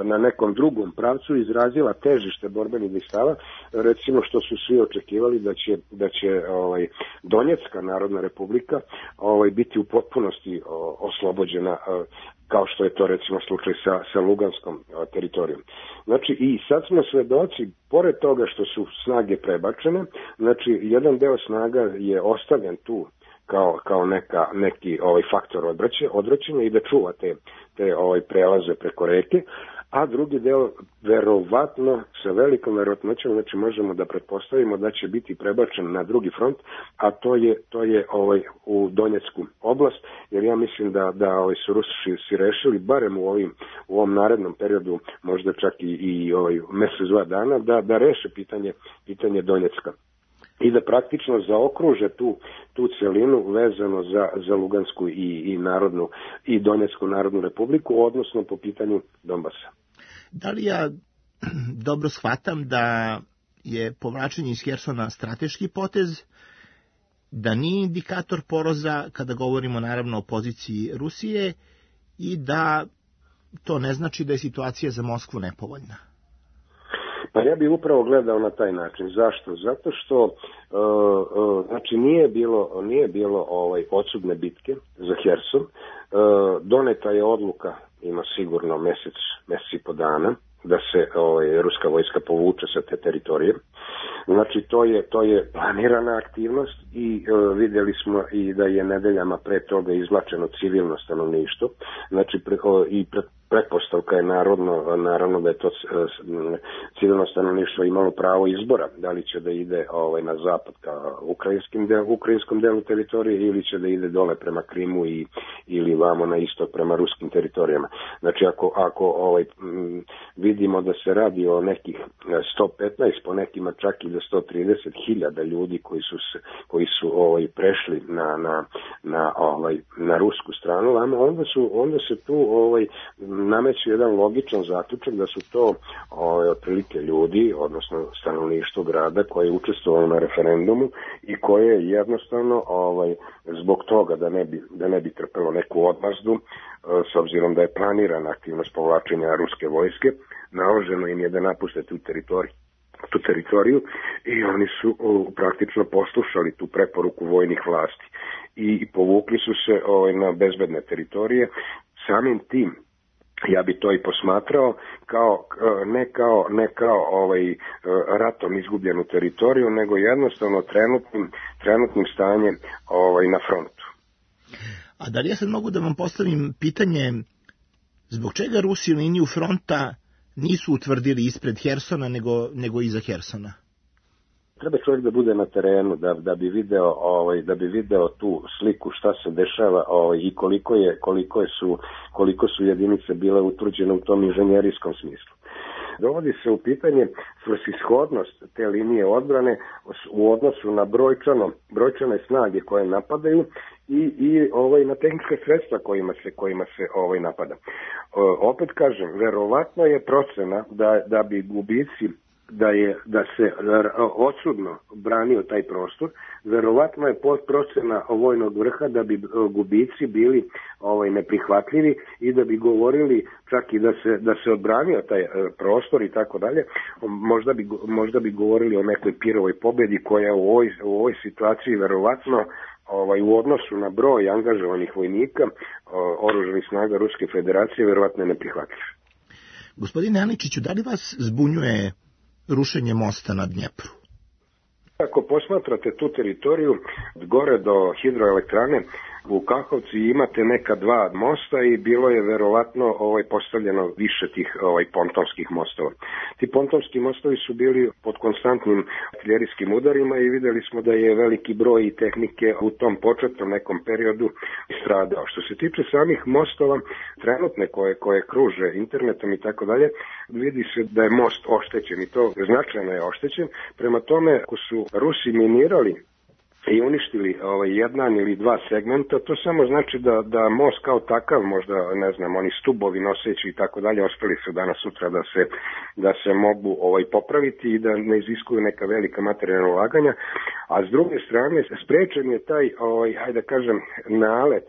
na nekom drugom pravcu, izrazila težište borbenih dejstava, recimo što su svi očekivali da će, da će ovaj, Donjecka narodna republika ovaj, biti u potpunosti o, oslobođena, o, kao što je to recimo slučaj sa, sa Luganskom o, teritorijom. Znači i sad smo svedoci, pored toga što su snage prebačene, znači jedan deo snaga je ostavljen tu kao, kao neka, neki ovaj faktor odvraćanja, odvraćanja i da čuva te, te ovaj prelaze preko reke, a drugi deo verovatno sa velikom verovatnoćom, znači možemo da pretpostavimo da će biti prebačen na drugi front, a to je to je ovaj u Donjecku oblast, jer ja mislim da da ovaj su Rusi si rešili barem u ovim u ovom narednom periodu, možda čak i, i ovaj mesec dva dana da da reše pitanje pitanje Donjecka i da praktično zaokruže tu, tu celinu vezano za, za Lugansku i, i narodnu i Donjecku narodnu republiku, odnosno po pitanju Donbasa. Da li ja dobro shvatam da je povlačenje iz Hersona strateški potez, da nije indikator poroza kada govorimo naravno o poziciji Rusije i da to ne znači da je situacija za Moskvu nepovoljna? Pa ja bih upravo gledao na taj način. Zašto? Zato što uh, uh, znači nije bilo nije bilo ovaj odsudne bitke za Herson. Uh, doneta je odluka, ima sigurno mesec, mesec i po dana, da se ovaj ruska vojska povuče sa te teritorije. Znači to je, to je planirana aktivnost i e, vidjeli smo i da je nedeljama pre toga izvlačeno civilno stanovništvo, znači pre, o, i pre, pretpostavka je narodno, naravno da je to e, civilno stanovništvo imalo pravo izbora, da li će da ide ovaj, na zapad ka ukrajinskim del, ukrajinskom delu teritorije ili će da ide dole prema Krimu i, ili vamo na istok prema ruskim teritorijama. Znači ako, ako ovaj, m, vidimo da se radi o nekih sto petnaest, po nekima čak i do sto trideset hiljada ljudi koji su, koji su ovaj, prešli na, na, na, ovaj, na rusku stranu, onda, su, onda se tu ovaj, nameće jedan logičan zaključak da su to ovaj, otprilike ljudi, odnosno stanovništvo grada koje je učestvovalo na referendumu i koje jednostavno ovaj, zbog toga da ne bi, da ne bi trpelo neku odmazdu, s obzirom da je planirana aktivnost povlačenja ruske vojske, naloženo im je da napuste tu teritoriju tu teritoriju i oni su o, praktično poslušali tu preporuku vojnih vlasti i povukli su se ovaj, na bezbedne teritorije. Samim tim ja bi to i posmatrao kao, ne kao, ne kao ovaj, ratom izgubljenu teritoriju, nego jednostavno trenutnim, trenutnim stanjem ovaj, na frontu. A da li ja sad mogu da vam postavim pitanje, zbog čega Rusi liniju fronta nisu utvrdili ispred Hersona, nego, nego iza Hersona? Treba čovjek da bude na terenu, da, da, bi, video, ovaj, da bi video tu sliku šta se dešava ovaj, i koliko, je, koliko, je su, koliko su jedinice bile utvrđene u tom inženjerijskom smislu. Dovodi se u pitanje svrsishodnost te linije odbrane u odnosu na brojčano, brojčane snage koje napadaju i, i ovaj, na tehnička sredstva kojima se, kojima se ovaj, napada. O, opet kažem, verovatno je procena da, da bi gubici da je da se odsudno branio taj prostor, verovatno je procena vojnog vrha da bi gubici bili ovaj neprihvatljivi i da bi govorili čak i da se da se odbranio taj prostor i tako dalje. Možda bi možda bi govorili o nekoj Pirovoj pobedi koja u ovoj, u ovoj situaciji verovatno ovaj u odnosu na broj angažovanih vojnika oružanih snaga Ruske Federacije verovatno je neprihvatljiv. Gospodine Aničiću, da li vas zbunjuje rušenje mosta na Dnjepru? Ako posmatrate tu teritoriju gore do hidroelektrane u Kahovci imate neka dva mosta i bilo je verovatno ovaj postavljeno više tih ovaj pontonskih mostova. Ti pontonski mostovi su bili pod konstantnim artiljerijskim udarima i videli smo da je veliki broj i tehnike u tom početnom nekom periodu stradao. Što se tiče samih mostova trenutne koje koje kruže internetom i tako dalje, vidi se da je most oštećen i to značajno je oštećen. Prema tome, ako su Rusi minirali i uništili ovaj, jedan ili dva segmenta, to samo znači da, da most kao takav, možda, ne znam, oni stubovi noseći i tako dalje, ostali su danas sutra da se, da se mogu ovaj, popraviti i da ne iziskuju neka velika materijalna ulaganja, a s druge strane sprečen je taj, ovaj, hajde da kažem, nalet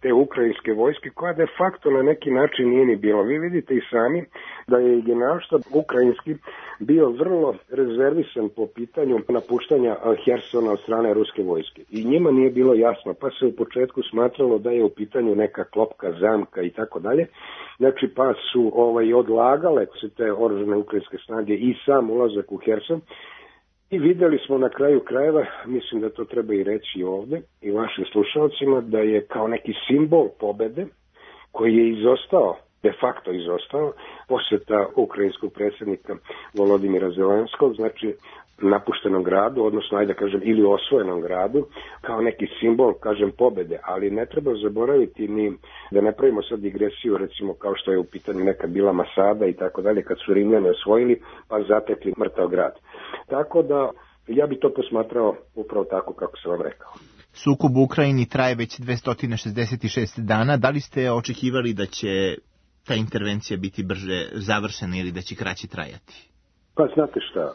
te ukrajinske vojske koja de facto na neki način nije ni bilo. Vi vidite i sami da je generalštab ukrajinski bio vrlo rezervisan po pitanju napuštanja Hersona od strane ruske vojske. I njima nije bilo jasno, pa se u početku smatralo da je u pitanju neka klopka, zamka i tako dalje. Znači pa su ovaj, odlagale se te oružane ukrajinske snage i sam ulazak u Herson. I videli smo na kraju krajeva, mislim da to treba i reći ovde i vašim slušalcima, da je kao neki simbol pobede koji je izostao, de facto izostao, posjeta ukrajinskog predsjednika Volodimira Zelenskog, znači napuštenom gradu, odnosno ajde da kažem ili osvojenom gradu, kao neki simbol, kažem, pobede, ali ne treba zaboraviti ni da ne pravimo sad digresiju, recimo kao što je u pitanju nekad bila Masada i tako dalje, kad su Rimljani osvojili pa zatekli mrtav grad. Tako da ja bi to posmatrao upravo tako kako sam vam rekao. Sukob u Ukrajini traje već dvesta šezdeset šest dana. Da li ste očekivali da će ta intervencija biti brže završena ili da će kraće trajati? Pa znate šta,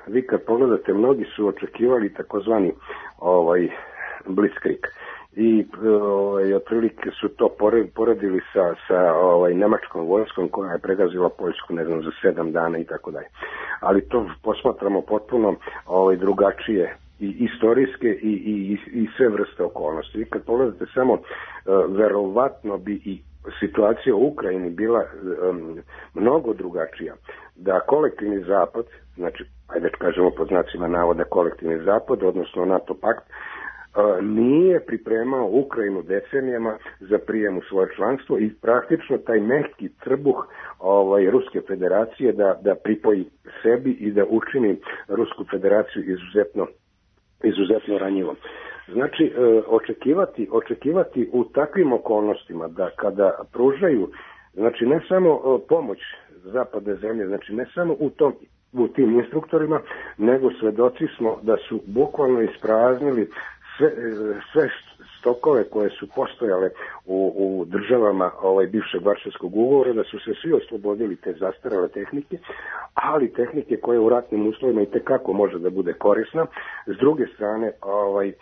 vi kad pogledate, mnogi su očekivali takozvani ovaj, blitzkrieg i ovaj, otprilike su to poredili sa, sa ovaj, nemačkom vojskom koja je pregazila Poljsku, ne znam, za sedam dana i tako dalje. Ali to posmatramo potpuno ovaj, drugačije i istorijske i, i, i sve vrste okolnosti. Vi kad pogledate samo, verovatno bi i situacija u Ukrajini bila um, mnogo drugačija, da kolektivni zapad, znači, ajde da kažemo pod znacima navoda kolektivni zapad, odnosno NATO pakt, uh, nije pripremao Ukrajinu decenijama za prijem u svoje članstvo i praktično taj mehki trbuh ovaj, Ruske federacije da, da pripoji sebi i da učini Rusku federaciju izuzetno, izuzetno ranjivom. Znači, očekivati, očekivati u takvim okolnostima da kada pružaju, znači ne samo pomoć zapadne zemlje, znači ne samo u, tom, u tim instruktorima, nego svedoci smo da su bukvalno ispraznili sve, sve stokove koje su postojale u, u državama ovaj, bivšeg Varšavskog ugovora, da su se svi oslobodili te zastarele tehnike, ali tehnike koje u ratnim uslovima i tekako može da bude korisna. S druge strane, ovaj, e,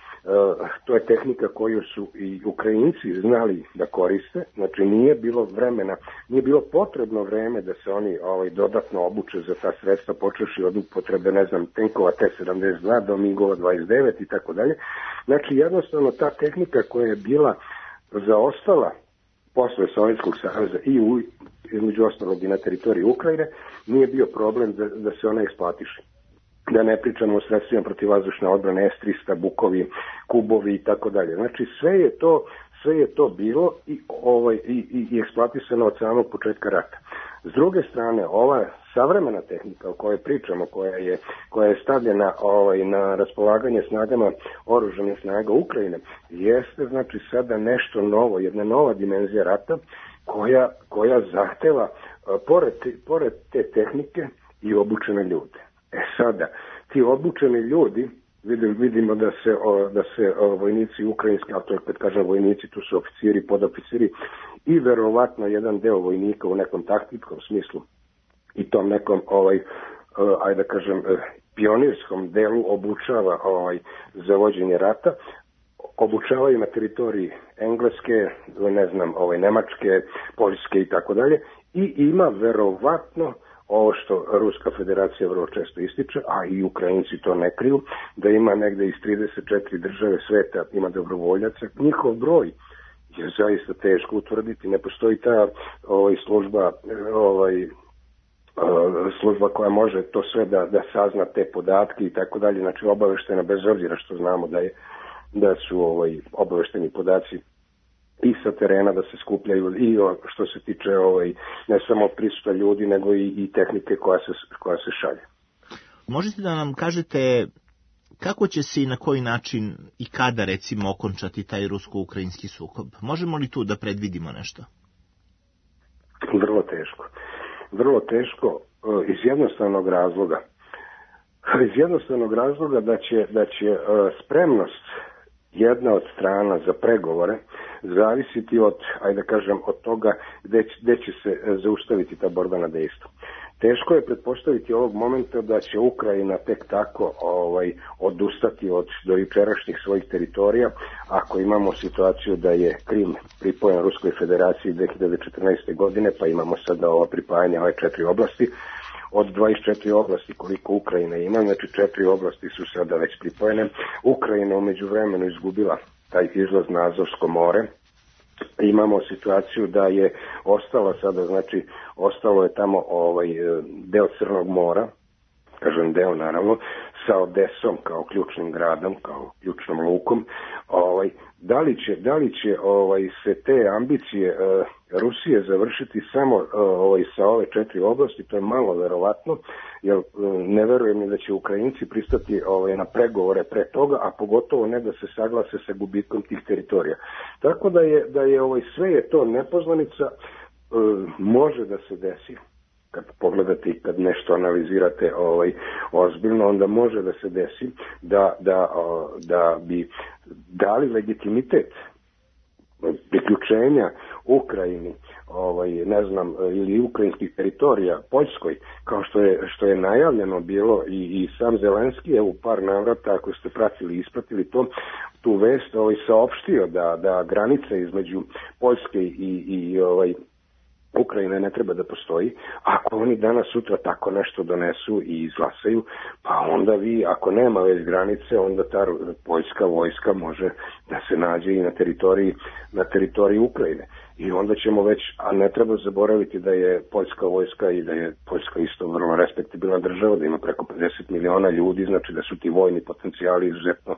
to je tehnika koju su i Ukrajinci znali da koriste, znači nije bilo vremena, nije bilo potrebno vreme da se oni ovaj, dodatno obuče za ta sredstva, počeši od upotrebe, ne znam, tenkova T sedamdeset dva do Migova dvadeset devet i tako dalje. Znači jednostavno ta tehnika koja je bila zaostala posle Sovjetskog saveza i u, između ostalog i na teritoriji Ukrajine, nije bio problem da, da se ona isplatiše. Da ne pričamo o sredstvima protivvazdušne odbrane, S trista, Bukovi, Kubovi i tako dalje. Znači sve je to, sve je to bilo i, ovaj, i, i, i eksploatisano od samog početka rata. S druge strane, ova savremena tehnika o kojoj pričamo, koja je, koja je stavljena ovaj, na raspolaganje snagama oružanih snaga Ukrajine, jeste znači sada nešto novo, jedna nova dimenzija rata koja, koja zahteva pored, pored te tehnike i obučene ljude. E sada, ti obučeni ljudi, vidim, vidimo da se, o, da se o, vojnici ukrajinski, a to je kad kažem vojnici, tu su oficiri, podoficiri i verovatno jedan deo vojnika u nekom taktičkom smislu i tom nekom, ovaj, uh, ajde da kažem, uh, pionirskom delu obučava ovaj, za vođenje rata, obučavaju na teritoriji Engleske, ne znam, ovaj, Nemačke, Poljske i tako dalje, i ima verovatno ovo što Ruska federacija vrlo često ističe, a i Ukrajinci to ne kriju, da ima negde iz trideset četiri države sveta ima dobrovoljaca. Njihov broj je zaista teško utvrditi, ne postoji ta ovaj, služba, ovaj, služba koja može to sve da, da sazna te podatke i tako dalje, znači obaveštena bez obzira što znamo da je da su ovaj, obavešteni podaci i sa terena da se skupljaju i što se tiče ovaj, ne samo prisuta ljudi nego i, i tehnike koja se, koja se šalje. Možete da nam kažete kako će se i na koji način i kada recimo okončati taj rusko-ukrajinski sukob? Možemo li tu da predvidimo nešto? Vrlo teško. Vrlo teško iz jednostavnog razloga. Iz jednostavnog razloga da će, da će spremnost jedna od strana za pregovore zavisiti od, ajde da kažem, od toga gde će, gde će se zaustaviti ta borbena dejstva. Teško je pretpostaviti ovog momenta da će Ukrajina tek tako ovaj, odustati od dojučerašnjih svojih teritorija, ako imamo situaciju da je Krim pripojen Ruskoj federaciji dve hiljade četrnaeste. godine, pa imamo sada ova pripajanja ove četiri oblasti. Od dvadeset četiri oblasti koliko Ukrajina ima, znači četiri oblasti su sada već pripojene. Ukrajina umeđu vremenu izgubila taj izlaz na Azovsko more. Imamo situaciju da je ostala sada, znači ostalo je tamo ovaj deo Crnog mora, kažem deo naravno, sa Odesom kao ključnim gradom, kao ključnom lukom. Ovaj, da li će, da li će ovaj, se te ambicije uh, Rusije završiti samo uh, ovaj, sa ove četiri oblasti, to je malo verovatno, jer uh, ne verujem ni da će Ukrajinci pristati ovaj, na pregovore pre toga, a pogotovo ne da se saglase sa gubitkom tih teritorija. Tako da je, da je ovaj, sve je to nepoznanica, uh, može da se desi. Kad pogledate i kad nešto analizirate ovaj, ozbiljno, onda može da se desi da, da, da bi dali legitimitet priključenja Ukrajini, ovaj, ne znam, ili ukrajinskih teritorija Poljskoj, kao što je, što je najavljeno bilo i, i sam Zelenski je u par navrata, ako ste pratili i ispratili to, tu vest ovaj, saopštio da, da granice između Poljske i, i ovaj, Ukrajine ne treba da postoji. Ako oni danas sutra tako nešto donesu i izglasaju, pa onda vi, ako nema već granice, onda ta poljska vojska može da se nađe i na teritoriji, na teritoriji Ukrajine. i onda ćemo već, a ne treba zaboraviti da je poljska vojska i da je Poljska isto vrlo respektabilna država, da ima preko pedeset miliona ljudi, znači da su ti vojni potencijali izuzetno,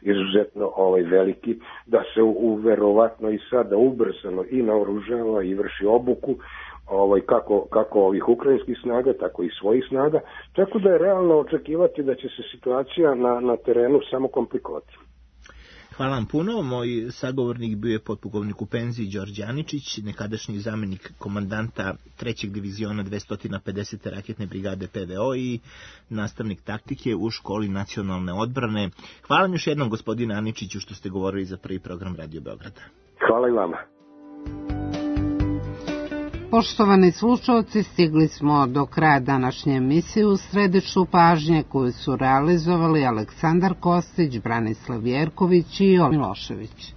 izuzetno ovaj, veliki, da se u, verovatno i sada ubrzano i naoružava i vrši obuku, ovaj, kako, kako ovih ukrajinskih snaga, tako i svojih snaga, tako da je realno očekivati da će se situacija na, na terenu samo komplikovati. Hvala vam puno. Moj sagovornik bio je potpukovnik u penziji Đorđe Aničić, nekadašnji zamenik komandanta trećeg diviziona dvesta pedesete raketne brigade P V O i nastavnik taktike u školi nacionalne odbrane. Hvala vam još jednom, gospodine Aničiću, što ste govorili za prvi program Radio Beograda. Hvala i vama. Poštovani slušalci, stigli smo do kraja današnje emisije u središtu pažnje koju su realizovali Aleksandar Kostić, Branislav Jerković i Jovan Milošević.